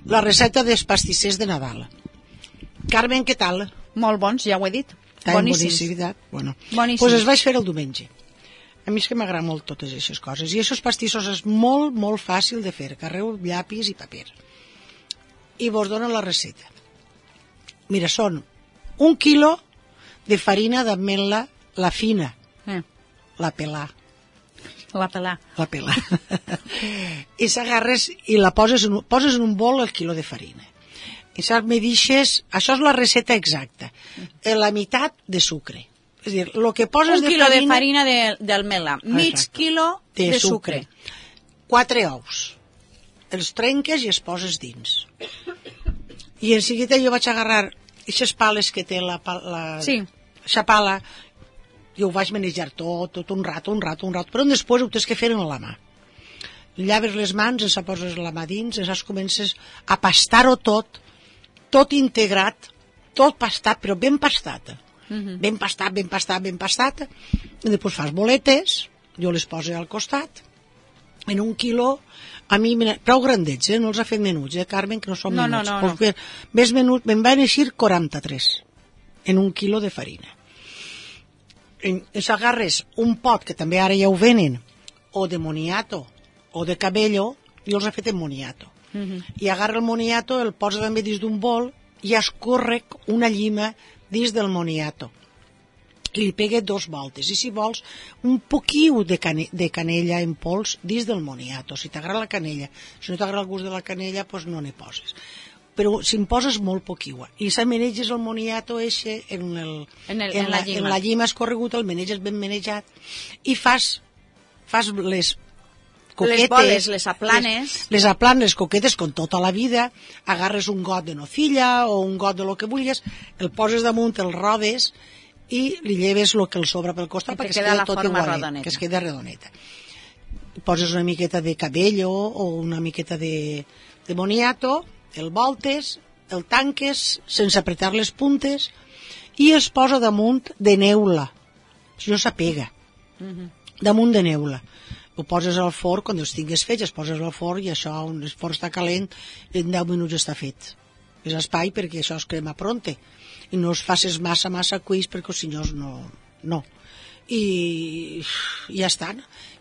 la recepta dels pastissers de Nadal. Carmen, què tal? Molt bons, ja ho he dit. Boníssim. Bueno, doncs els vaig fer el diumenge. A mi és que m'agrada molt totes aquestes coses. I aquests pastissos és molt, molt fàcil de fer. Carreu llapis i paper. I vos dono la receta. Mira, són 1 quilo de farina d'ametla, la fina, la pelà. I s'agarres i la poses en un bol el quilo de farina. I saps, me deixes, això és la receta exacta, la meitat de sucre. És a dir, el que poses de farina... 1 quilo de farina d'ametla, mig quilo de sucre. 4 ous. Els trenques i els poses dins. I en seguida jo vaig agarrar aquestes pales que té la pala, jo ho vaig manejar tot un rato, però després ho tens que fer amb la mà. Llaves les mans, ens poses la mà dins, ens comences a pastar-ho tot integrat, tot pastat, però ben pastat. Ben pastat, i després fas boletes, jo les poso al costat, en 1 quilo, a mi, prou grandets, no els ha fet menuts, Carmen, que no són menuts. No. Més menut, me'n van eixir 43, en 1 quilo de farina. Ens agarres un pot, que també ara ja ho venen, o de moniato, o de cabello, jo els he fet en moniato. I agarra el moniato, el posa també dins d'un bol, i escorre una llima dins del moniato. I li pega 2 voltes. I si vols, un poquiu de canella en pols dins del moniato. Si t'agrada la canella. Si no t'agrada el gust de la canella, doncs no n'hi poses. Però si en poses molt poquiu. I s'ameneges el moniato en la llima escorregut, el meneges ben menejat, i fas les coquetes, les boles, les aplanes. Les aplanes, les coquetes, com tota la vida. Agarres un got de nocilla o un got de lo que vulguis, el poses damunt, el rodes i li lleves el que el sobra pel costat perquè es queda tot igualet, que es queda redoneta. Poses una miqueta de cabello o una miqueta de moniato, el voltes, el tanques sense apretar les puntes i es posa damunt de neula, si no s'apega, damunt de neula. Ho poses al forn, quan els tingues fets, es poses al forn i això, on el forn està calent, en 10 minuts està fet. És espai perquè això es crema pronte i no es facis massa cuís perquè els senyors no. I ja està.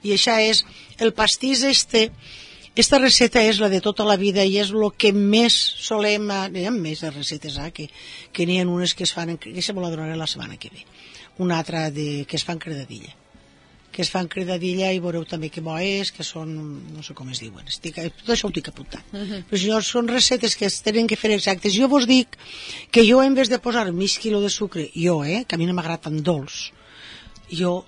I això és el pastís esta receta és la de tota la vida i és el que més solem... N'hi ha més de recetes, que n'hi ha unes que es fan... que se me la donaré la setmana que ve. Una altra que es fan credadilla. Que es fan credadilla i veureu també que bo és, que són... no sé com es diuen. Tot això ho tinc apuntat. Però si no, són recetes que es tenen que fer exactes. Jo vos dic que jo, en vez de posar mig quilo de sucre, que a mi no m'agrada tan dolç, jo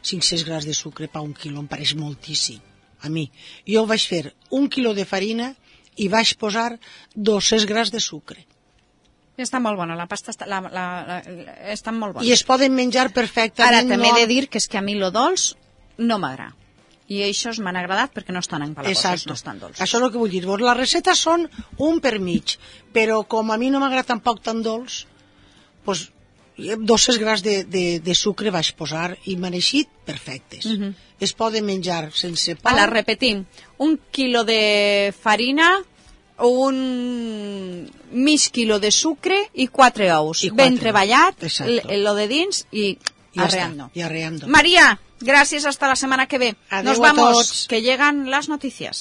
500 grams de sucre per 1 quilo em pareix moltíssim. A mi. Jo vaig fer 1 quilo de farina i vaig posar 200 grams de sucre. Està molt bona, la pasta està molt bona. I es poden menjar perfectament. Ara també he de dir que és que a mi lo dolç no m'agrada. I això m'han agradat perquè no estan empalagosos, no estan dolços. Això és el que vull dir. Les recetes són un per mig, però com a mi no m'agrada tampoc tan dolç, doncs 200 grams de sucre vaig posar i m'han eixit perfectes. Es poden menjar sense pa. Ara, repetim, 1 quilo de farina, un mig quilo de sucre i 4 ous. Ben treballat, lo de dins i arreando. Y arreando. María, gracias, hasta la semana que ve. Adeu. Nos vamos, que llegan las noticias.